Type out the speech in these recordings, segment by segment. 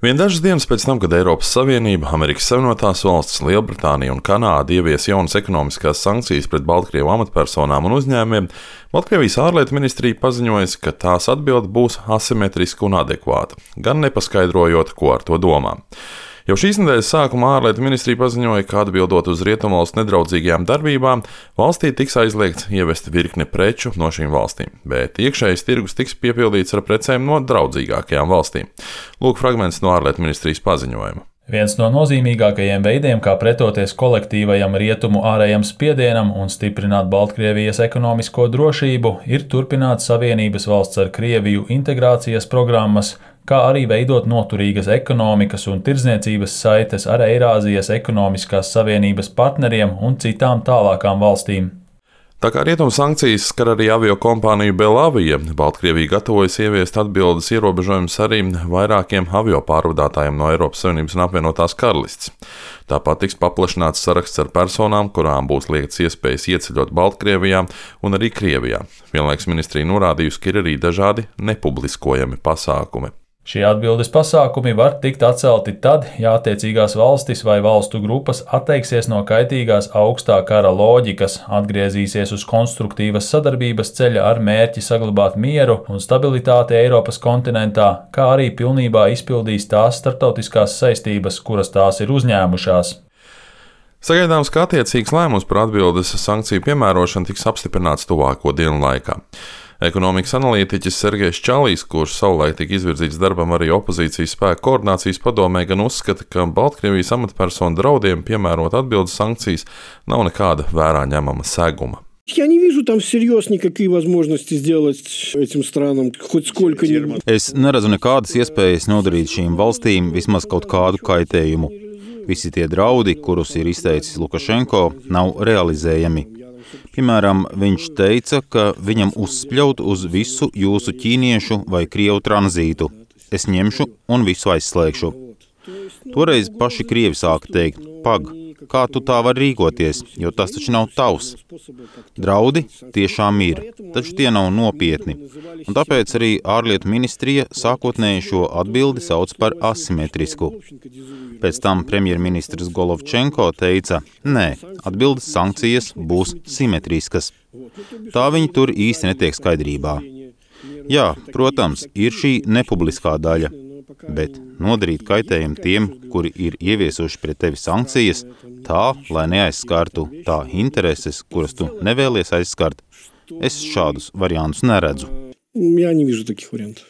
Vien dažas dienas pēc tam, kad Eiropas Savienība, Amerikas Savienotās valstis, Lielbritānija un Kanāda ievies jaunas ekonomiskās sankcijas pret Baltkrievu amatpersonām un uzņēmumiem, Baltkrievijas ārlietu ministrija paziņoja, ka tās atbilde būs asimetriska un adekvāta, gan nepaskaidrojot, ko ar to domā. Jau šīs nedēļas sākumā ārlietu ministrija paziņoja, ka atbildot uz rietumvalstu nedraudzīgajām darbībām, valstī tiks aizliegts ievest virkni preču no šīm valstīm, bet iekšējais tirgus tiks piepildīts ar precēm no draudzīgākajām valstīm. Lūk fragments no ārlietu ministrijas paziņojuma. Viens no nozīmīgākajiem veidiem, kā pretoties kolektīvajam rietumu ārējam spiedienam un stiprināt Baltkrievijas ekonomisko drošību, ir turpināt Savienības valsts ar Krieviju integrācijas programmas, kā arī veidot noturīgas ekonomikas un tirdzniecības saites ar Eirāzijas ekonomiskās savienības partneriem un citām tālākām valstīm. Tā kā rietumu sankcijas skar arī aviokompāniju Belavija, Baltkrievija gatavojas ieviest atbildes ierobežojumus arī vairākiem avio pārvadātājiem no Eiropas Savienības un apvienotās karalistes. Tāpat tiks paplašināts saraksts ar personām, kurām būs liekts iespējas ieceļot Baltkrievijā un arī Krievijā. Vienlaikus ministrija norādījusi, ka ir arī dažādi nepubliskojami pasākumi. Šie atbildes pasākumi var tikt atcelti tad, ja attiecīgās valstis vai valstu grupas atteiksies no kaitīgās augstā kara loģikas, atgriezīsies uz konstruktīvas sadarbības ceļa ar mērķi saglabāt mieru un stabilitāti Eiropas kontinentā, kā arī pilnībā izpildīs tās starptautiskās saistības, kuras tās ir uzņēmušās. Sagaidāms, ka attiecīgs lēmums par atbildes sankciju piemērošanu tiks apstiprināts tuvāko dienu laikā. Ekonomikas analītiķis Sergejs Čalīs, kurš savulaik tika izvirzīts darbam arī opozīcijas spēku koordinācijas padomē, gan uzskata, ka Baltkrievijas amatpersonu draudiem piemērot atbildes sankcijas nav nekāda vērā ņemama seguma. Я не вижу там всерьез никакие возможности сделать этим странам хоть сколько-нибудь. Es neredzu nekādas iespējas nodarīt šīm valstīm vismaz kaut kādu kaitējumu. Visi tie draudi, kurus ir izteicis Lukašenko, nav realizējami. Piemēram, viņš teica, ka viņam uzspļaut uz visu jūsu ķīniešu vai krievu tranzītu. Es ņemšu un visu aizslēgšu. Toreiz paši krievi sāka teikt, pag, kā tu tā vari rīkoties, jo tas taču nav tavs. Draudi tiešām ir, taču tie nav nopietni. Un tāpēc arī ārlietu ministrija sākotnēji šo atbildi sauc par asimetrisku. Pēc tam premjerministrs Golovčenko teica, nē, atbildes sankcijas būs simetriskas. Tā viņi tur īsti netiek skaidrībā. Jā, protams, ir šī nepubliskā daļa, bet nodarīt kaitējumu tiem, kuri ir ieviesuši pret tevi sankcijas, tā, lai neaizskartu tā intereses, kuras tu nevēlies aizskart, es šādus variantus neredzu. Я не вижу таких вариантов.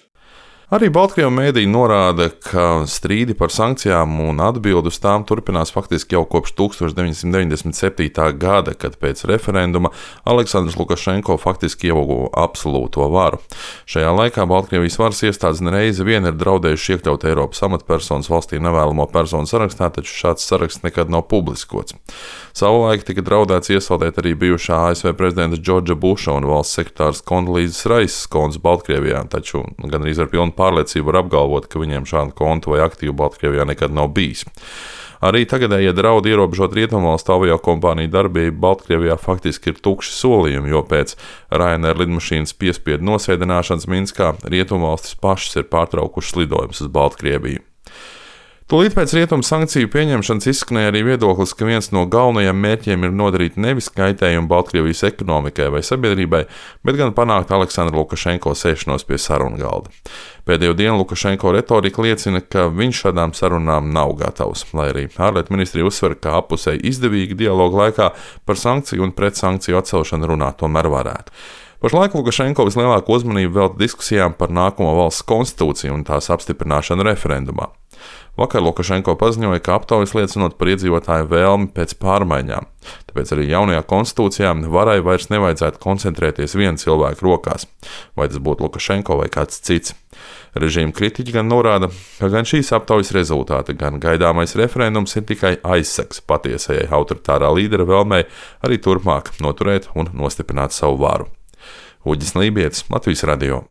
Arī Baltkrievu mēdī norāda, ka strīdi par sankcijām un atbildi uz tām turpinās faktiski jau kopš 1997. gada, kad pēc referenduma Aleksandrs Lukašenko faktiski ieguva absolūto varu. Šajā laikā Baltkrievijas varas iestādes nereizi vien ir draudējuši iekļaut Eiropas amatpersonas valstī nevēlamo personu sarakstā, taču šāds saraksts nekad nav publiskots. Savulaik tika draudēts iesaldēt arī bijušā ASV prezidenta Džordža Buša un valsts sekretārs Kondolīzes Raisas kontus Baltkrievijā, taču gandrīz ar pilnu pārliecību var apgalvot, ka viņiem šādu kontu vai aktīvu Baltkrievijā nekad nav bijis. Arī tagadējie draudi ierobežot rietumvalstu aviokompāniju darbību Baltkrievijā faktiski ir tukši solījumi, jo pēc Ryanair lidmašīnas piespiedu nosēdināšanas Minskā rietumvalstis pašas ir pārtraukušas lidojumus uz Baltkrieviju. Tūlīt pēc rietumu sankciju pieņemšanas izskanēja arī viedoklis, ka viens no galvenajiem mērķiem ir nodarīt nevis kaitējumu Baltkrievijas ekonomikai vai sabiedrībai, bet gan panākt Aleksandra Lukašenko sēšanos pie sarunu galda. Pēdējo dienu Lukašenko retorika liecina, ka viņš šādām sarunām nav gatavs, lai arī ārlietu ministrija uzsver, ka apusēji izdevīgi dialogu laikā par sankciju un pretsankciju atcelšanu runāt tomēr varētu. Pašlaik Lukašenko vislielāko uzmanību velta diskusijām par nākamo valsts konstitūciju un tās apstiprināšanu referendumā. Vakar Lukašenko paziņoja, ka aptaujas liecinot par iedzīvotāju vēlmi pēc pārmaiņām. Tāpēc arī jaunajā konstitūcijā varai vairs nevajadzētu koncentrēties viena cilvēka rokās, vai tas būtu Lukašenko vai kāds cits. Režīma kritiķi gan norāda, ka gan šīs aptaujas rezultāti, gan gaidāmais referendums ir tikai aizsegs patiesajai autoritārā līdera vēlmei arī turpmāk noturēt un nostiprināt savu varu. Uģis Lībietis, Latvijas radio.